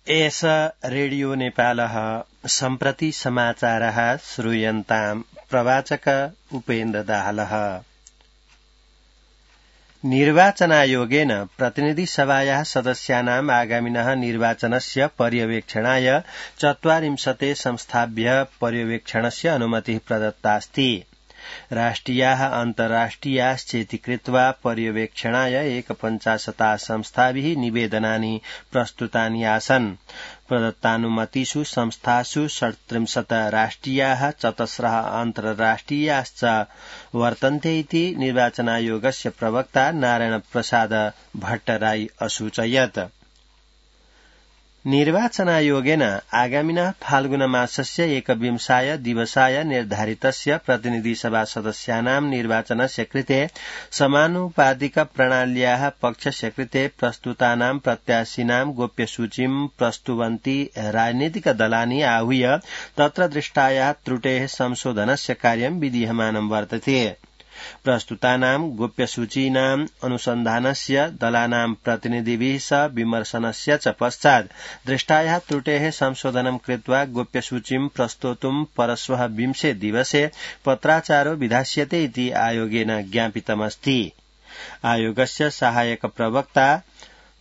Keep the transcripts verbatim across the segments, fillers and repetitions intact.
एष रेडियो नेपालः सम्प्रति समाचारः श्रूयन्ताम् प्रवाचक उपेन्द्र दाहालः। निर्वाचनायोगेन प्रतिनिधिसभायाः सदस्यानाम् आगामिनः निर्वाचनस्य पर्यवेक्षणाय चत्वारिंशते संस्थाभ्यः पर्यवेक्षणस्य अनुमतिः प्रदत्तास्ति। राष्ट्रियाः अन्ताराष्ट्रियाश्चेति कृत्वा पर्यवेक्षणाय एकपञ्चाशता संस्थाभिः निवेदनानि प्रस्तुतानि आसन्। प्रदत्तानुमतिषु संस्थासु षट्त्रिंशत् राष्ट्रियाः चतस्रः अन्ताराष्ट्रियाश्च वर्तन्ते इति निर्वाचनायोगस्य प्रवक्ता नारायण प्रसाद भट्टराई असूचयत्। निर्वाचनायोगेन आगामिनः फाल्गुनमासस्य एकविंशाय दिवसाय निर्धारितस्य प्रतिनिधिसभा सदस्यानां निर्वाचनस्य कृते समानुपातिक प्रणाल्याः पक्षस्य कृते प्रस्तुतानां प्रत्याशिनां गोप्यसूचीं प्रस्तुवन्ति राजनीतिकदलानि आहूय तत्र दृष्टायाः त्रुटेः संशोधनस्य कार्यं विधीयमानं वर्तते। प्रस्तुतानां गोप्यसूचीनाम् अनुसन्धानस्य दलानां प्रतिनिधिभिः सह विमर्शनस्य च पश्चात् दृष्टायाः त्रुटेः संशोधनं कृत्वा गोप्यसूचीं प्रस्तोतुं परश्वः विंशे दिवसे पत्राचारो विधास्यते इति आयोगेन ज्ञापितमस्ति। आयोगस्य सहायक प्रवक्ता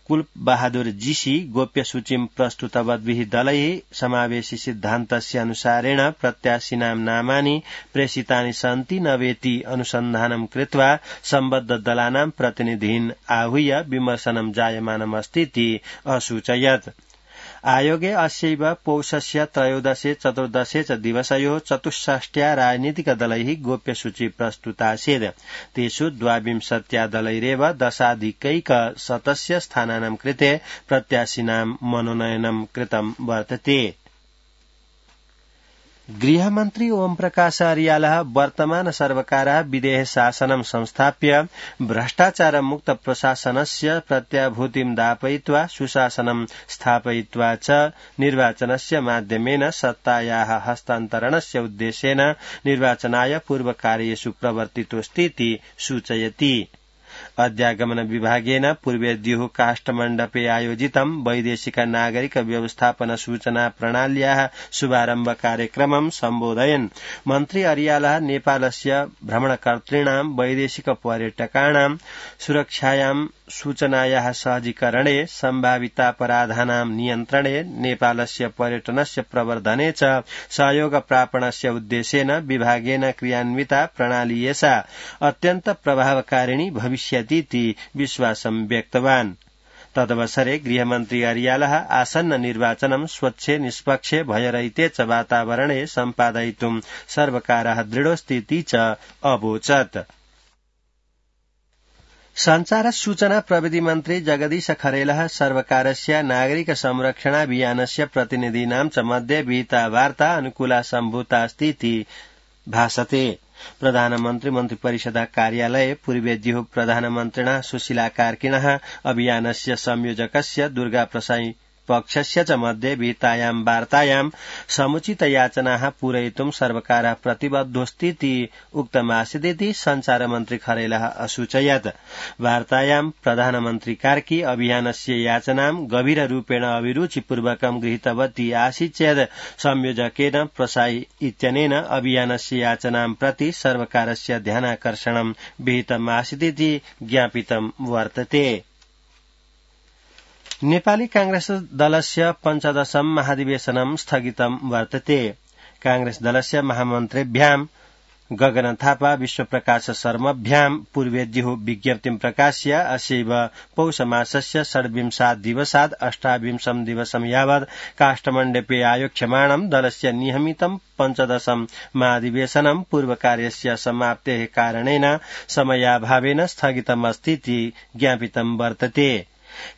कुल बहादुर जीसी गोप्यसूचीं प्रस्तुतवद्भिः दलैः समावेशि सिद्धान्तस्य अनुसारेण प्रत्याशिनां नामानि प्रेषितानि सन्ति न वेति अनुसन्धानं कृत्वा सम्बद्ध दलानां प्रतिनिधीन् आहूय विमर्शनं जायमानमस्ति इति असूचयत्। आयोगे अस्यैव पौषस्य त्रयोदशे चतुर्दशे च दिवसयोः चतुष्षष्ट्या राजनीतिकदलैः गोप्यसूची प्रस्तुतासीत्। तेषु द्वाविंशत्या दलैरेव दशाधिकैकशतस्य स्थानानां कृते प्रत्याशिनां मनोनयनं कृतं वर्तते। गृहमन्त्री ओमप्रकाश अर्यालः वर्तमान सर्वकारः विदेह शासनं संस्थाप्य भ्रष्टाचारमुक्त प्रशासनस्य प्रत्याभूतिं दापयित्वा सुशासनं स्थापयित्वा च निर्वाचनस्य माध्यमेन सत्तायाः हस्तान्तरणस्य उद्देश्येन निर्वाचनाय पूर्वकार्येषु प्रवर्तितोऽस्ति इति सूचयति। अध्यागमन विभागेन पूर्वेद्युः काष्ठमण्डपे आयोजितं वैदेशिक नागरिक व्यवस्थापन सूचना प्रणाल्याः शुभारम्भ कार्यक्रमं सम्बोधयन् मन्त्री अर्यालः नेपालस्य भ्रमणकर्तॄणां वैदेशिक पर्यटकाणां सुरक्षायां सूचनायाः सहजीकरणे सम्भावितापराधानां नियन्त्रणे नेपालस्य पर्यटनस्य प्रवर्धने च सहयोग प्रापणस्य उद्देश्येन विभागेन क्रियान्विता प्रणाली एषा अत्यन्त प्रभावकारिणी भविष्यतीति विश्वासं व्यक्तवान्। तदवसरे गृहमन्त्री अर्यालः आसन्न निर्वाचनं स्वच्छे निष्पक्षे भयरहिते च वातावरणे सम्पादयितुं सर्वकारः दृढोऽस्ति च अवोचत्। संचार सूचना प्रविधि मन्त्री जगदीश खरेलः सर्वकारस्य नागरिक संरक्षणाभियानस्य प्रतिनिधीनां च मध्ये विहिता वार्ता अनुकूला सम्भूतास्ति इति भासते। प्रधानमन्त्री मन्त्रिपरिषद कार्यालये पूर्वेद्युः प्रधानमन्त्रिणः सुशीला कार्किणः अभियानस्य संयोजकस्य दुर्गा प्रसाई पक्षस्य च मध्ये विहितायां वार्तायां समुचित याचनाः पूरयितुं सर्वकारः प्रतिबद्धोऽस्ति इति उक्तमासीदिति संचारमन्त्री खरेलः असूचयत्। वार्तायां प्रधानमन्त्री कार्की अभियानस्य याचनां गभीररूपेण अभिरुचिपूर्वकं गृहीतवती आसीत् चेत् संयोजकेन प्रसाई इत्यनेन अभियानस्य याचनां प्रति सर्वकारस्य ध्यानाकर्षणं विहितमासीदिति ज्ञापितं वर्तते। नेपाली कांग्रेस दलस्य पञ्चदशं महाधिवेशनं स्थगितं वर्तते। कांग्रेस दलस्य महामन्त्रिभ्यां गगन थापा विश्वप्रकाश शर्मभ्यां पूर्वेद्युः विज्ञप्तिं प्रकाश्य अस्यैव पौषमासस्य षड्विंशात् दिवसात् अष्टाविंशं दिवसं यावत् काष्ठमण्डपे आयोक्ष्यमाणं दलस्य नियमितं पञ्चदशं महाधिवेशनं पूर्वकार्यस्य समाप्तेः कारणेन समयाभावेन स्थगितमस्ति इति ज्ञापितं वर्तते।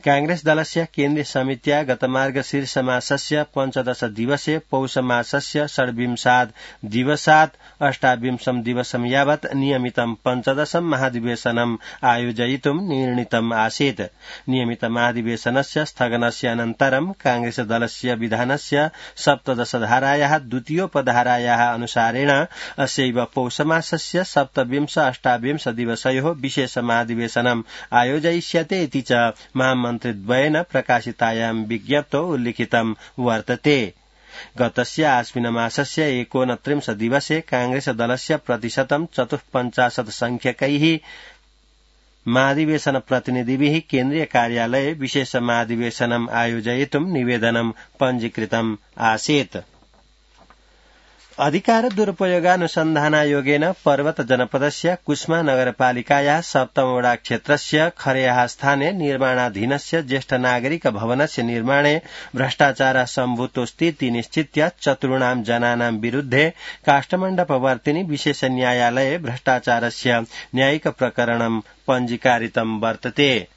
कांग्रेस दलस्य केन्द्रीय समित्या गतमार्गशीर्षमासस्य पञ्चदश दिवसे पौषमासस्य षड्विंशात् दिवसात् अष्टाविंशं दिवसं यावत् नियमितं पञ्चदशं महाधिवेशनम् आयोजयितुं निर्णीतम् आसीत्। नियमित महाधिवेशनस्य स्थगनस्य अनन्तरं कांग्रेस दलस्य विधानस्य सप्तदशधारायाः द्वितीयोपधारायाः अनुसारेण अस्यैव पौषमासस्य सप्तविंश अष्टाविंश दिवसयोः विशेष महाधिवेशनम् आयोजयिष्यते इति च महामन्त्रिद्वयेन प्रकाशितायां विज्ञप्तौ उल्लिखितं वर्तते। गतस्य आश्विनमासस्य एकोनत्रिंश दिवसे कांग्रेस दलस्य प्रतिशतं चतुःपञ्चाशत् संख्यकैः महाधिवेशन प्रतिनिधिभिः केन्द्रीय कार्यालये विशेष महाधिवेशनम् आयोजयितुं निवेदनं पञ्जीकृतम् आसीत्। अधिकार दुरुपयोगानुसन्धानायोगेन पर्वत जनपदस्य कुस्मा नगरपालिकाया सप्तमवडा क्षेत्रस्य खरेहा स्थाने निर्माणाधीनस्य ज्येष्ठ नागरिक भवनस्य निर्माणे भ्रष्टाचार सम्भूतोस्तीति निश्चित्य चतुर्णां जनानां विरुद्धे काष्ठमण्डपवर्तिनि विशेष न्यायालये भ्रष्टाचारस्य न्यायिक प्रकरणं पञ्जीकारितं वर्तते।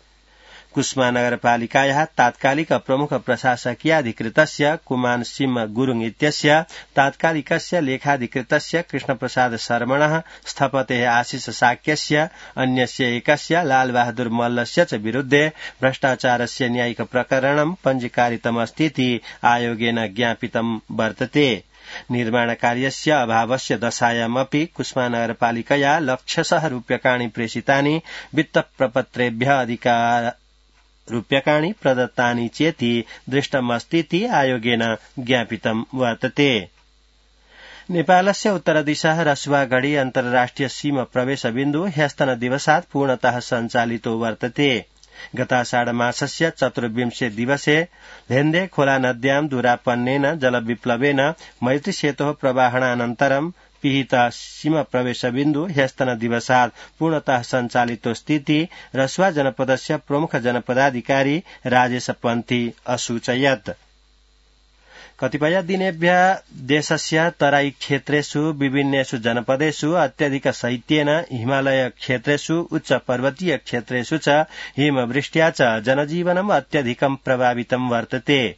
कुस्मा नगरपालिकायाः तात्कालिक प्रमुख प्रशासकीयाधिकृतस्य कुमार सिंह गुरुङ इत्यस्य तात्कालिकस्य लेखाधिकृतस्य कृष्णप्रसाद शर्मणः स्थपतेः आशिष साक्यस्य अन्यस्य एकस्य लालबहादुर मल्लस्य च विरुद्धे भ्रष्टाचारस्य न्यायिक प्रकरणं पञ्जीकारितमस्तीति आयोगेन ज्ञापितं वर्तते। निर्माण कार्यस्य अभावस्य दशायामपि कुस्मा नगरपालिकया लक्षशः रूप्यकाणि प्रेषितानि वित्त प्रपत्रेभ्यः अधिकार रूप्यकाणि प्रदत्तानि चेति दृष्टमस्तीति आयोगेन ज्ञापितं वर्तते। नेपालस्य उत्तरदिशः रसुवागढी अन्तर्राष्ट्रिय सीमा प्रवेश बिन्दु ह्यस्तन दिवसात् पूर्णतः सञ्चालितो वर्तते। गताषाढमासस्य चतुर्विंशे दिवसे धेन्दे खोला नद्यां दूरापन्नेन जलविप्लवेन मैत्रीसेतोः प्रवाहणानन्तरं पिहित सीमा प्रवेश बिन्दु ह्यस्तन दिवसात् पूर्णतः सञ्चालितो स्थिति रसुवा जनपदस्य प्रमुख जनपदाधिकारी राजेश पन्थी असूचयत्। कतिपय दिनेभ्यः देशस्य तराई क्षेत्रेषु विभिन्नेषु जनपदेषु अत्यधिक शैत्येन हिमालय क्षेत्रेषु उच्च पर्वतीय क्षेत्रेषु च हिमवृष्ट्या च जनजीवनम् अत्यधिकं प्रभावितं वर्तते।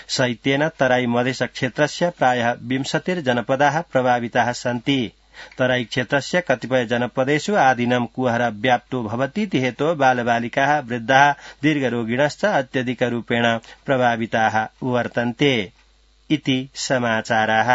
शैत्येन तराई मधेश क्षेत्रस्य प्रायः विंशतिर्जनपदाः प्रभाविताः सन्ति। तराई क्षेत्रस्य कतिपय जनपदेषु आदिनं कुहर व्याप्तो भवतीति हेतोः बालबालिकाः वृद्धाः दीर्घरोगिणश्च अत्यधिकरूपेण प्रभाविताः वर्तन्ते इति समाचाराः।